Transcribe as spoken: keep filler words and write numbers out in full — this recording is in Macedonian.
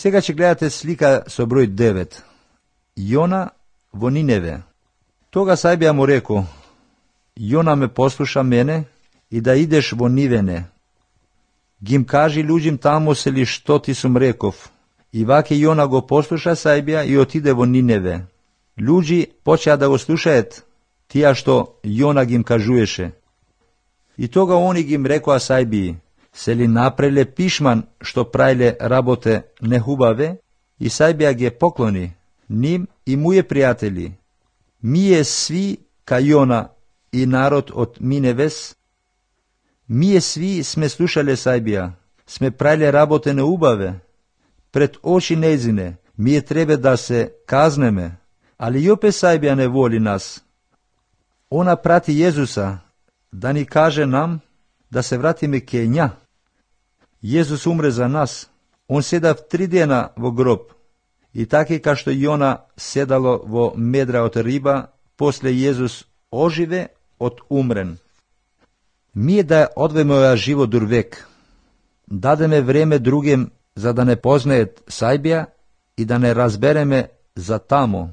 Сега ќе гледате слика со број девет. Јона во Ниневе. Тога Сајбија му реко: Јона ме послуша мене и да идеш во Нивене. Гим кажи луѓим таму се ли што ти сум реков. И ваќе Јона го послуша Сајбија и отиде во Ниневе. Луѓи почеа да го слушаат тие што Јона гим кажуеше. И тога они гим рекоа Сајбии: се ли напреле пишман што праиле работе нехубаве? И Сајбија ги поклони ним и муе пријатели. Мие сви ка Јона и народ од Миневес. Мие сви сме слушале Сајбија, сме праиле работе неубаве. Пред очи незине, мие треба да се казнеме, али и опе Сајбија не воли нас. Она прати Језуса да ни каже нам да се вратиме ке ња. Језус умре за нас. Он седав три дена во гроб. И таки ка што Јона седало во медра од риба, после Језус оживе од умрен. Мие да одвеме овој живот дур век. Дадеме време другим за да не познаат Сајбија и да не разбереме за тамо.